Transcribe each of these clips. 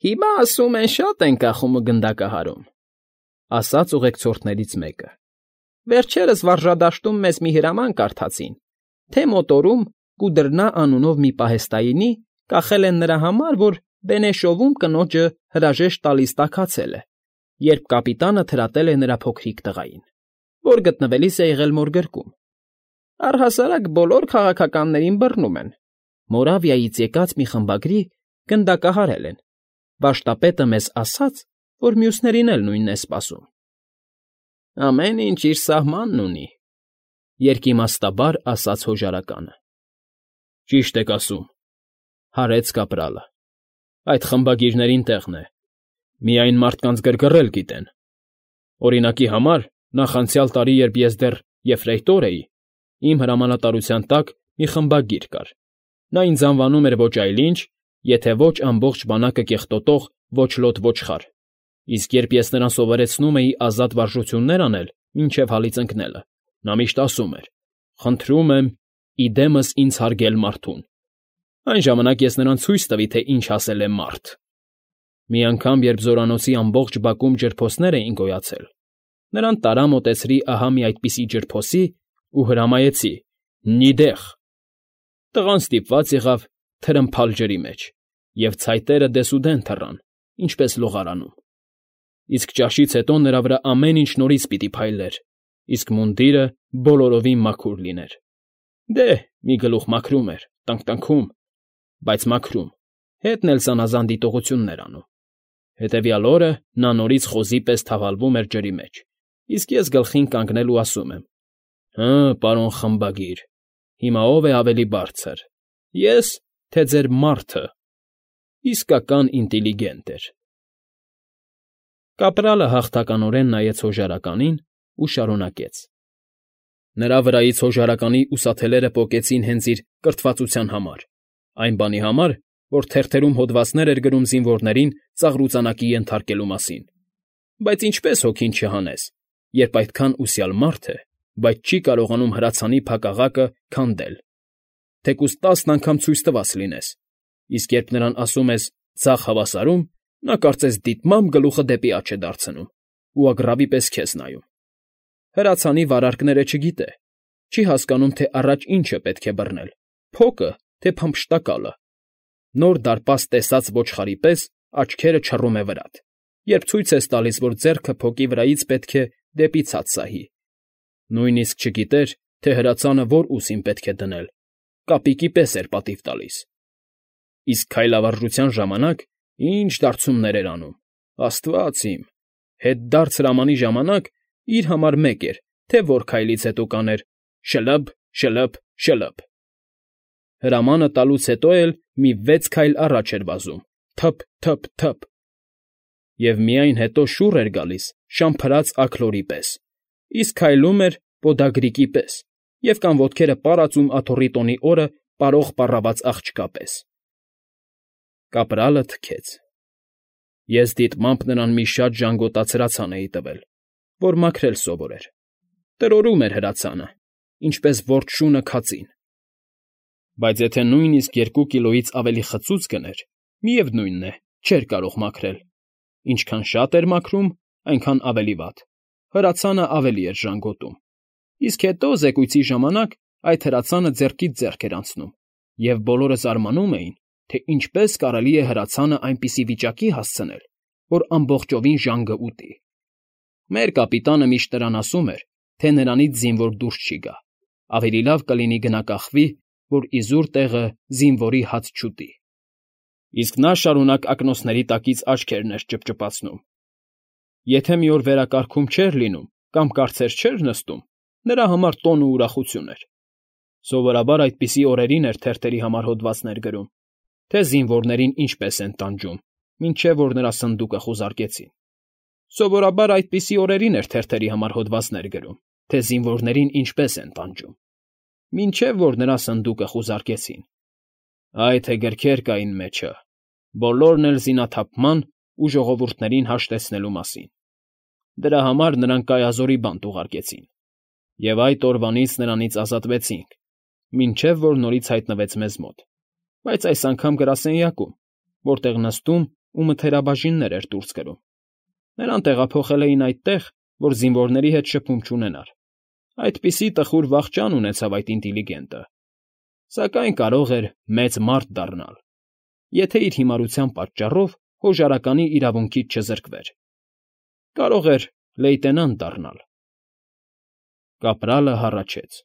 Հիմա ասում են շատ են կախումը գնդակահարում, ասաց ուղեկցորդներից մեկը։ Վերջերս վարժադաշտում մեզ մի հրաման կարդացին, թե մոտորում Կուդրնա անունով մի պահեստայինի կախել են նրա համար, որ Բենեշովում կնոջը հրաժեշտ տալիս տաքացել է, երբ կապիտանը թրատել է նրա փոքրիկ տղային, որ գտնվելիս է եղել մորգրկում։ Առհասարակ բոլոր քաղաքականներին բռնում են։ Մորավիայից եկած մի խմբագրի գնդակահարել են։ Վաշտապետը մեզ ասաց, որ մյուսներին էլ նույնն է սպասում։ Ամեն ինչ իր սահմանն ունի, երկիմաստաբար ասաց հոժարականը։ Ճիշտ եք ասում, հարեց կապրալը։ Այդ խմբագիրներին տեղն է։ Միայն մարդկանց գրգռել գիտեն։ Օրինակի համար, նախ անցյալ տարի, երբ ես դեռ եֆրեյտոր էի, իմ հրամանատարության տակ մի խմբագիր կար։ Նա ինձ անվանում էր ոչ այլ ինչ, եթե ոչ ամբողջ բանակը կեղտոտող ոչ լոտ ոչխար, իսկ երբ ես նրան սովորեցնում էի ազատ վարժություններ անել մինչև հալից ընկնելը, նա միշտ ասում էր. «Խնդրում եմ, իդեմս ինձ հարգել մարդուն»։ Այն ժամանակ ես նրան ցույց տվի, թե ինչ ասել է մարդ։ Մի անգամ, երբ զորանոցի ամբողջ բակում ջրփոսներ էին գոյացել, նրան տարա մոտեցրի ահա մի այդպիսի ջրփոսի ու հրամայեցի. «Նիդեղ»։ Տղան ստիպված եղավ թրմփալ ջրի մեջ, և ցայտերը դեսուդեն թռան, ինչպես լողարանում։ Իսկ ճաշից հետո նրա վրա ամեն ինչ նորից պիտի փայլեր, իսկ մունդիրը բոլորովին մաքուր լիներ։ Դե, մի գլուխ մաքրում էր, տնկտնքում, բայց մաքրում, հետն էլ զանազան դիտողություններ անում։ Հետևյալ օրը նա նորից խոզի պես թավալվում էր ջրի մեջ, իսկ ես գլխին կանգնել ու ասում եմ. «Հը, պարոն խմբագիր, հիմա ով է ավելի բարձր, ես, թե ձեր մարդը»։ Իսկական ինտիլիգենտ էր։ Կապրալը հաղթականորեն նայեց հոժարականին ու շարունակեց. Նրա վրայից հոժարականի ուսաթելերը պոկեցին հենց իր կրթվածության համար, այն բանի համար, որ թերթերում հոդվածներ էր գրում զինվորներին ծաղրուծանակի ենթարկելու մասին։ Բայց ինչպես հոգին չհանես, երբ այդքան ուսյալ մարդ է, բայց չի կարողանում հրացանի փակաղակը քանդել, թեկուզ 10 անգամ ցույց տված լինես, իսկ երբ նրան ասում ես «ձախ հավասարում», նա կարծես դիտմամբ գլուխը դեպի աջ է դարձնում ու ագռավի պես քեզ նայում։ Հրացանի վարարքները չգիտե, չի հասկանում, թե առաջ ինչը պետք է բռնել՝ փոկը, թե փամփշտակալը։ Նոր դարպաս տեսած ոչխարի պես աչքերը չռում է վրատ, երբ ցույց ես տալիս, որ ձեռքը փոկի վրայից պետք է դեպի ցած սահի։ Նույնիսկ չգիտեր, թե հրացանը որ ուսին պետք է դնել, կապիկի պես էր պատիվ տալիս։ Իսկ քայլավարժության ժամանակ ինչ դարձումներ էր անում, աստված իմ, հետդարձ հրամանի ժամանակ իր համար մեկ էր, թե որ քայլից հետո կաներ շլըբ, շլըբ, շլըբ։ Հրամանը տալուց հետո էլ մի 6 քայլ առաջ էր վազում, թփ, թփ, թփ։ Եվ միայն հետո շուռ էր գալիս շամփրած աքլորի պես, իսկ քայլում էր պոդագրիկի պես և կամ ոտքերը պարածում աթոռի տոնի օրը պարող պառաված աղջկա պես։ Կապրալը թքեց։ Ես դիտմամբ նրան մի շատ ժանգոտած հրացան էի տվել, որ մաքրել սովորեր։ Տրորում էր հրացանը, ինչպես որթ շունը քածին։ Բայց եթե նույնիսկ 2 կիլոից ավելի խցուց գներ, միևնույնն է, չէր կարող մաքրել։ Ինչքան շատ էր մաքրում, այնքան ավելի վատ։ Հրացանը ավելի էր ժանգոտում։ Իսկ հետո զեկույցի ժամանակ այդ հրացանը ձեռքից ձեռք էր անցնում, և բոլորը զարմանում էին, թե ինչպես կարելի է հրացանը այնպիսի վիճակի հասցնել, որ ամբողջովին ժանգը ուտի։ Մեր կապիտանը միշտ նրան ասում էր, թե նրանից զինվոր դուրս չի գա, ավելի լավ կլինի գնա կախվի, որ իզուր տեղը զինվորի հաց չուտի։ Իսկ նա շարունակ ակնոցների տակից աչքերն էր ճպճպացնում։ Եթե մի օր վերակարգում չէր լինում կամ կարծեր չէր նստում, նրա համար տոն ու ուրախություն էր։ Սովորաբար այդպիսի օրերին էր թերթերի համար հոդվածներ գրում, թե զինվորներին ինչպես են տանջում, մինչև որ նրա սնդուկը խուզարկեցին։ Սովորաբար այդպիսի օրերին էր թերթերի համար հոդվածներ գրում, թե զինվորներին ինչպես են տանջում, մինչև որ նրա սնդուկը խուզարկեցին։ Այ թե գրքեր կային մեջը, բոլորն էլ զինաթափման ու ժողովուրդներին հաշտեցնելու մասին։ Դրա համար նրան կայազորի բանտ ուղարկեցին, և այդ օրվանից նրանից ազատվեցինք, մինչև որ նորից հայտնվեց մեզ մոտ, բայց այս անգամ գրասենյակում, որտեղ նստում ու մթերաբաժիններ էր դուրս կրում։ Նրան տեղափոխել էին այդտեղ, որ զինվորների հետ շփում չունենար։ Այդպիսի տխուր վախճան ունեցավ այդ ինտիլիգենտը։ Սակայն կարող էր մեծ մարդ դառնալ, եթե իր հիմարության պատճառով հոժարականի իրավունքից չզրկվեր։ Կարող էր լեյտենանտ դառնալ։ Կապրալը հառաչեց։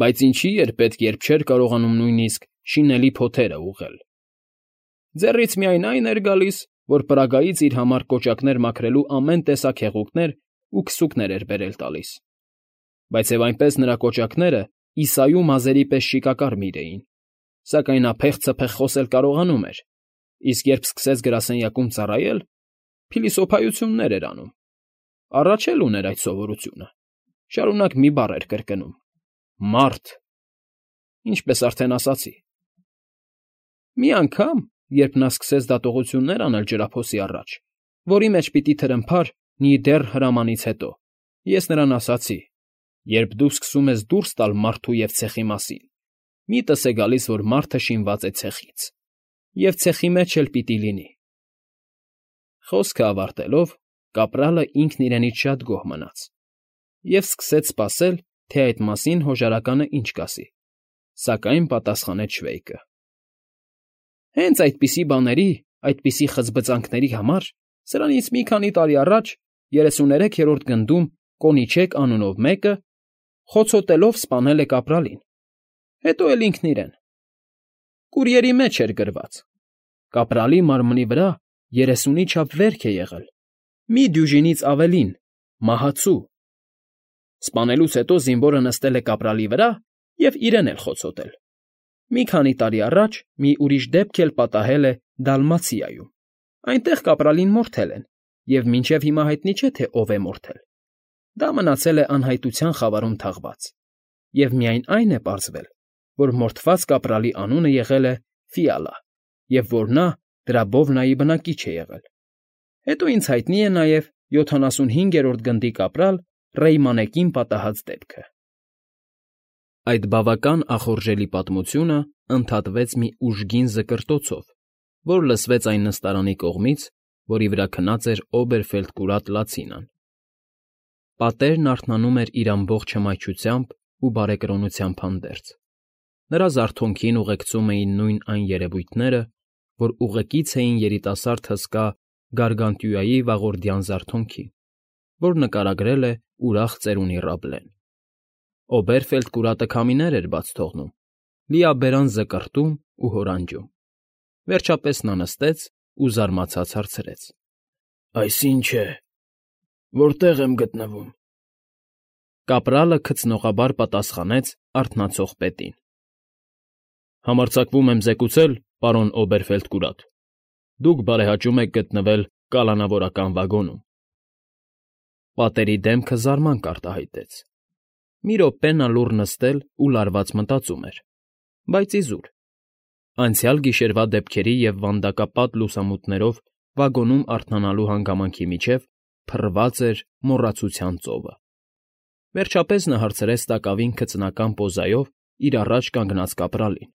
Բայց ինչի էր պետք, երբ չէր կարողանում նույնիսկ շինելի փոթերը ուղղել։ Ձեռից միայն այն էր գալիս, որ պրագայից իր համար կոճակներ մաքրելու ամեն տեսակ հեղուկներ ու քսուկներ էր բերել տալիս։ Բայց և այնպես նրա կոճակները Իսայու մազերի պես շիկակարմիր էին, սակայն նա փեղցփեղ խոսել կարողանում էր, իսկ երբ սկսեց գրասենյակում ծառայել, փիլիսոփայություններ էր անում։ Առաջ էլ ուներ այդ սովորությունը, շարունակ մի բառ էր կրկնում. «Մարդ», ինչպես արդեն ասացի։ Մի անգամ, երբ նա սկսեց դատողություններ անել ջրափոսի առաջ, որի մեջ պիտի թրմփար նիդեռ հրամանից հետո, ես նրան ասացի. «Երբ դու սկսում ես դուրս տալ մարդու և ցեխի մասին, միտս է գալիս, որ մարդը շինված է ցեխից, և ցեխի մեջ էլ պիտի լինի»։ Խոսքը ավարտելով, կապրալը ինքն իրենից շատ գոհ մնաց և սկսեց սպասել, թե այդ մասին հոժարականը ինչ կասի, սակայն պատասխանեց շվեյկը. «Հենց այդպիսի բաների, այդպիսի խծբծանքների համար սրանից մի քանի տարի առաջ 33-րդ գնդում Կոնիչեկ անունով մեկը խոցոտելով սպանել է կապրալին, հետո էլ ինքն իրեն։ Կուրիերի մեջ էր գրված. կապրալի մարմնի վրա 30-ի չափ վերք է եղել, մի դյուժինից ավելին, մահացու։ Սպանելուց հետո զինվորը նստել է կապրալի վրա և իրեն էլ խոցոտել։ Մի քանի տարի առաջ մի ուրիշ դեպք էլ պատահել է Դալմացիայում։ Այնտեղ կապրալին մորթել են, և մինչև հիմա հայտնի չէ, թե ով է մորթել։ Դա մնացել է անհայտության խավարում թաղված, և միայն այն է պարզվել, որ մորթված կապրալի անունը եղել է Ֆիալա, և որ նա դրա բովնայի բնակիչ է եղել։ Հետո ինձ հայտնի է նաև 75-րդ գնդի կապրալ Ռեյմանեկին պատահած դեպքը։ Այդ բավական ախորժելի պատմությունը ընդհատվեց մի ուժգին զկրտոցով, որ լսվեց այն նստարանի կողմից, որի վրա քնած էր Օբերֆելդկուրատ Լացինան։ Պատերն արթնանում էր իր ամբողջ հմայչությամբ ու բարեկրոնությամբ հանդերձ։ Նրա զարթոնքին ուղեկցում էին նույն այն երևույթները, որ ուղեկից էին երիտասարդ հսկա Գարգանտյուայի վաղորդյան զարթոնքին, որ նկարագրել է ուրախ ծերունի Ռաբլեն։ Օբերֆելդկուրատը քամիներ էր բաց թողնում, լիաբերան զկռտում ու հորանջում։ Վերջապես նա նստեց ու զարմացած հարցրեց. «Այս ի՞նչ է, որտե՞ղ եմ գտնվում»։ Կապրալը քծնողաբար պատասխանեց արթնացող պետին. «Համարձակվում եմ զեկուցել, պարոն Օբերֆելդկուրատ, դուք բարեհաճում եք գտնվել կալանավորական վագոնում»։ Պատերի դեմքը զարմանք արտահայտեց։ Մի րոպե նա լուռ նստել ու լարված մտածում էր, բայց իզուր։ Անցյալ գիշերվա դեպքերի և վանդակապատ լուսամուտներով վագոնում արթնանալու հանգամանքի միջև փռված էր մոռացության ծովը։ Վերջապես նա հարցրեց տակավին քծնական պոզայով իր առաջ կանգնած կապրալին.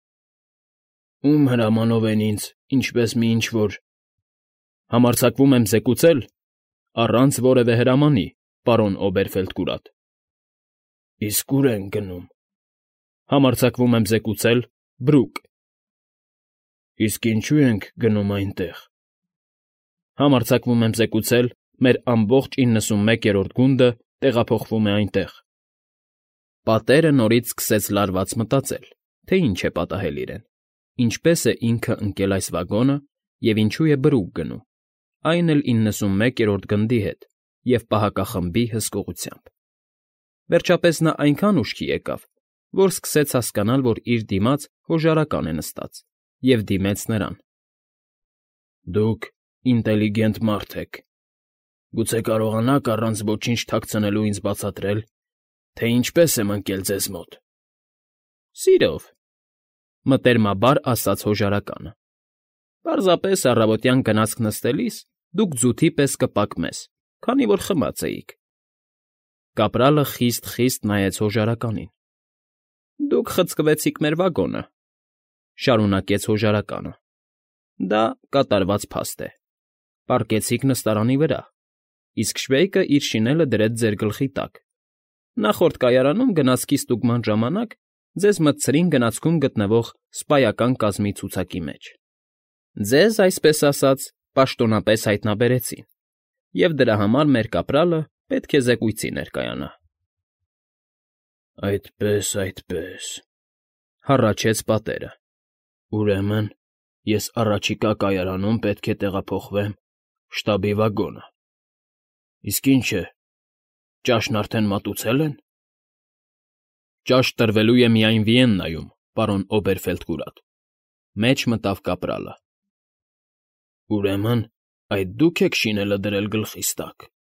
«Ում հրամանով են ինձ, ինչպես մի ինչ֊որ…» «Համարձակվում եմ զեկուցել, առանց որևէ հրամանի, պարոն Օբերֆելդկուրատ»։ «Իսկ ուր ենք գնում»։ «Համարձակվում եմ զեկուցել, Բրուկ»։ «Իսկ ինչո՞ւ ենք գնում այնտեղ»։ «Համարձակվում եմ զեկուցել, մեր ամբողջ 91-րդ գունդը տեղափոխվում է այնտեղ»։ Պատերը նորից սկսեց լարված մտածել, թե ինչ է պատահել իրեն, ինչպես է ինքը ընկել այս վագոնը և ինչու է Բրուկ գնում, այն էլ 91-րդ գնդի հետ և պահակախմբի հսկողությամբ։ Վերջապես նա այնքան ուշքի եկավ, որ սկսեց հասկանալ, որ իր դիմաց հոժարական է նստած, և դիմեց նրան. «Դուք ինտելիգենտ մարդ եք, գուցե կարողանաք առանց ոչինչ թաքցնելու ինձ բացատրել, թե ինչպես եմ ընկել ձեզ մոտ»։ «Սիրով», մտերմաբար ասաց հոժարականը։ «Պարզապես առավոտյան գնացք նստելիս դուք ձութի պես կպակմես, քանի որ խմած էիք»։ Կապրալը խիստ նայեց հոժարականին։ «Դուք խցկվեցիք մեր վագոնը», շարունակեց հոժարականը։ Դա կատարված փաստ է։ Պառկեցիք նստարանի վրա, իսկ Շվեյկը իր շինելը դրեց ձեր գլխի տակ։ Նախորդ կայարանում գնացքի ստուգման ժամանակ ձեզ մտցրին գնացքում գտնվող սպայական կազմի ցուցակի մեջ։ Ձեզ, այսպես ասած, պաշտոնապես հայտնաբերեցին, և դրա համար մեր կապրալը պետք է զեկույցի ներկայանա։ Այդպես, Հառաչեց պատերը։ ուրեմն ես առաջիկա կայարանում պետք է տեղափոխվեմ շտաբի վագոնը։ Իսկ ինչ է, ճաշն արդեն մատուցել են։ Ճաշ տրվելու է միայն Վիեննայում, պարոն Օբերֆելդկուրատ, մեջ մտավ կապրալը։ Ուրեմն այդ դուք եք շինելը դրել գլխիս տակ։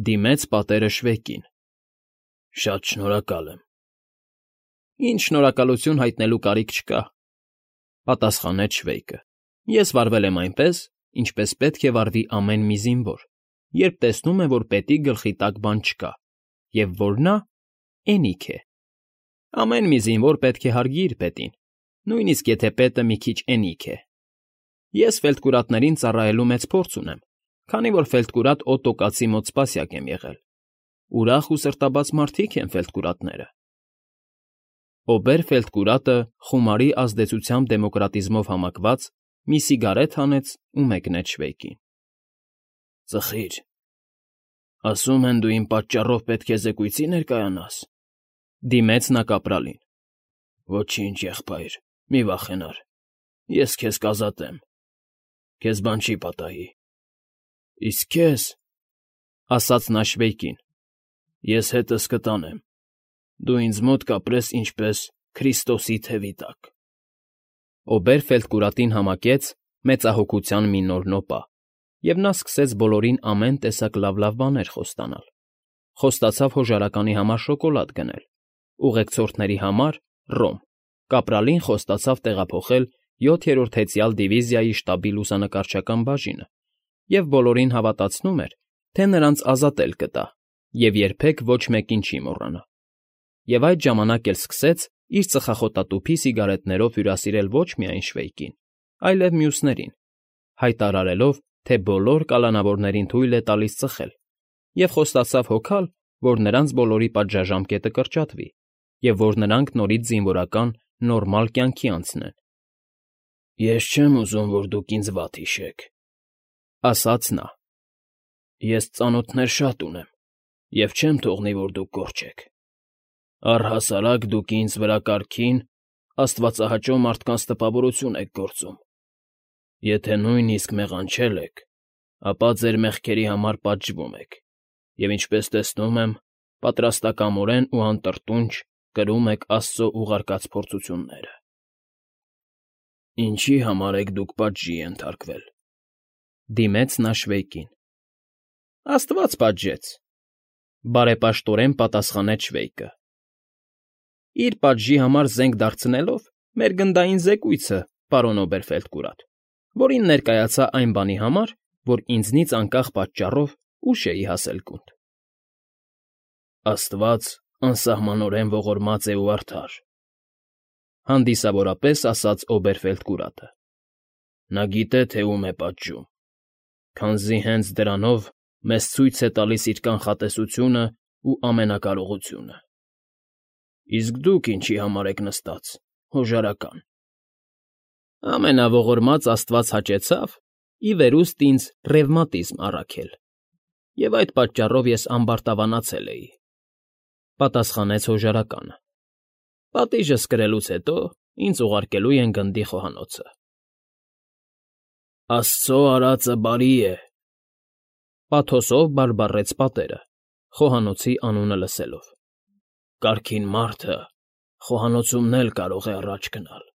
Դիմեց պատերը Շվեյկին։ Շատ շնորհակալ եմ։ Ինչ շնորհակալություն հայտնելու կարիք չկա, պատասխանեց Շվեյկը։ Ես վարվել եմ այնպես, ինչպես պետք է վարվի ամեն մի զինվոր, երբ տեսնում է, որ պետի գլխի տակ բան չկա, և որ նա էնիկ է։ Ամեն մի զինվոր պետք է հարգի իր պետին, նույնիսկ եթե պետը մի քիչ էնիկ է։ Ես ֆելդկուրատներին ծառայելու մեծ փորձ ունեմ, քանի որ ֆելդկուրատ Օտո կացի մոտ սպասյակ եմ եղել։ Ուրախ ու սրտաբաց մարդիկ են ֆելդկուրատները։ Օբերֆելդկուրատը խումարի ազդեցությամբ դեմոկրատիզմով համակված մի սիգարետ հանեց ու մեկնեց Շվեյկին։ Ծխիր։ Ասում են դու իմ պատճառով պետք է զեկույցի ներկայանաս։ Դիմեց նա կապրալին։ Ոչինչ, եղբայր, մի վախենար։ Ես քեզ կազատեմ։ Քեզ բան չի պատահի։ Իսկ քեզ, ասաց նա Շվեյկին, ես հետս կտանեմ։ Դու ինձ մոտ կապրես ինչպես Քրիստոսի թևի տակ։ Օբերֆելդկուրատին համակեց մեծահոգության մի նոր նոպա, և նա սկսեց բոլորին ամեն տեսակ լավ բաներ խոստանալ։ Խոստացավ հոժարականի համար շոկոլադ գնել, ուղեկցորդների համար՝ ռոմ, կապրալին խոստացավ տեղափոխել 7-րդ հեծյալ դիվիզիայի շտաբի լուսանկարչական բաժինը և բոլորին հավատացնում էր, թե նրանց ազատել կտա և երբեք ոչ մեկին չի մոռանա։ Եվ այդ ժամանակ էլ սկսեց իր ծխախոտատուփի սիգարետներով հյուրասիրել ոչ միայն Շվեյկին, այլև մյուսներին, հայտարարելով, թե բոլոր կալանավորներին թույլ է տալիս ծխել, և խոստացավ հոգալ, որ նրանց բոլորի պատժաժամկետը կրճատվի, և որ նրանք նորից զինվորական նորմալ կյանքի անցնեն։ Ես չեմ ուզում, որ դուք ինձ վատ հիշեք, ասաց նա։ Ես ծանոթներ շատ ունեմ, և չեմ թողնի, որ դուք կորչեք։ Առհասարակ դուք ինձ վրա կարգին, աստվածահաճո մարդկանց տպավորություն եք գործում։ Եթե նույնիսկ մեղանչել եք, ապա ձեր մեղքերի համար պատժվում եք, և ինչպես տեսնում եմ, պատրաստակամորեն ու անտրտունջ կրում եք Աստծո ուղարկած փորձությունները։ Ինչի համար եք դուք պատժի ենթարկվել։ Դիմեց նա Շվեյկին։ Աստված պատժեց, բարեպաշտորեն պատասխանեց Շվեյկը։ Իր պատժի համար զենք դարձնելով մեր գնդային զեկույցը, պարոն Օբերֆելդկուրատ, որին ներկայացա այն բանի համար, որ ինձնից անկախ պատճառով ուշ էի հասել գունդ։ Աստված անսահմանորեն ողորմած է ու արդար, հանդիսավորապես ասաց Օբերֆելդկուրատը։ Նա գիտե, թե ում է պատժում, քանզի հենց դրանով մեզ ցույց է տալիս իր կանխատեսությունը ու ամենակարողությունը։ Իսկ դուք ինչի համար եք նստած, հոժարական։ Ամենաողորմած Աստված հաճեցավ ի վերուստ ինձ ռևմատիզմ առաքել, և այդ պատճառով ես ամբարտավանացել էի, պատասխանեց հոժարականը։ Պատիժս կրելուց հետո ինձ ուղարկելու են գնդի խոհանոցը։ Աստծո արածը բարի է, պաթոսով բարբառեց պատերը, խոհանոցի անունը լսելով։ Կարգին մարդը խոհանոցումն էլ կարող է առաջ գնալ։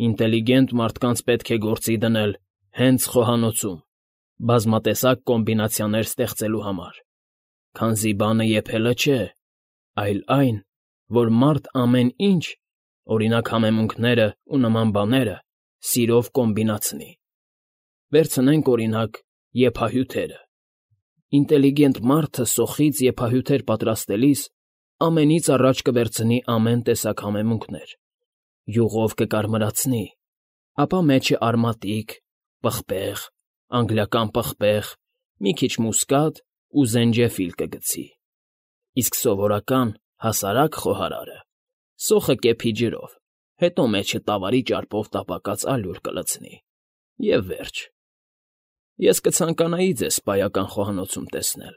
Ինտելիգենտ մարդկանց պետք է գործի դնել հենց խոհանոցում, բազմատեսակ կոմբինացիաներ ստեղծելու համար, քանզի բանը եփելը չէ, այլ այն, որ մարդ ամեն ինչ, օրինակ համեմունքները ու նման բաները, սիրով կոմբինացնի։ Վերցնենք, օրինակ, եփահյութերը։ Ինտելիգենտ մարդը սոխից եփահյութեր պատրաստելիս ամենից առաջ կվերցնի ամեն տեսակ համեմունքներ, յուղով կկարմրացնի, ապա մեջը արմատիկ, պղպեղ, անգլիական պղպեղ, մի քիչ մուսկատ ու զենջեֆիլ կգցի, իսկ սովորական հասարակ խոհարարը սոխը կեփի ջրով, հետո մեջը տավարի ճարպով տապակած ալյուր կլցնի, և վերջ։ Ես կցանկանայի ձեզ սպայական խոհանոցում տեսնել։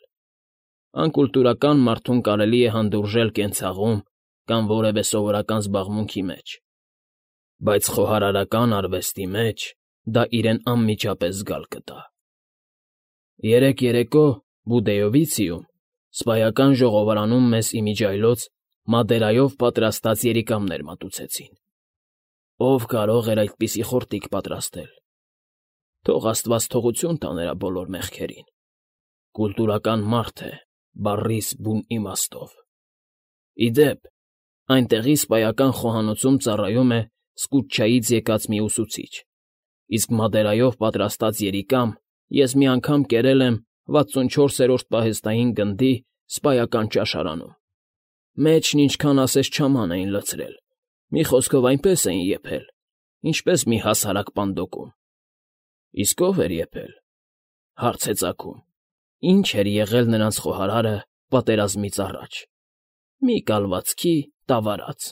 Անկուլտուրական մարդուն կարելի է հանդուրժել կենցաղում կամ որևէ սովորական զբաղմունքի մեջ, բայց խոհարարական արվեստի մեջ դա իրեն անմիջապես զգալ կտա։ Երեկ երեկո Բուդեովիցիում սպայական ժողովարանում մեզ իմիջիայլոց մադերայով պատրաստած երիկամներ մատուցեցին։ Ով կարող էր այդպիսի խորտիկ պատրաստել։ Թող աստված թողություն տա նրա բոլոր մեղքերին։ Կուլտուրական մարդ է, բառիս բուն իմաստով։ Ի դեպ, այնտեղի սպայական խոհանոցում ծառայում է Սկուտչայից եկած մի ուսուցիչ, իսկ մադերայով պատրաստած երիկամ ես մի անգամ կերել եմ 64-րդ պահեստային գնդի սպայական ճաշարանում։ Մեջն ինչքան ասես չաման էին լցրել, մի խոսքով այնպես էին եփել, ինչպես մի հասարակ պանդոկում։ Իսկ ով էր եփել, հարց է ծագում, ինչ էր եղել նրանց խոհարարը պատերազմից առաջ։ Մի կալվածքի տավարած։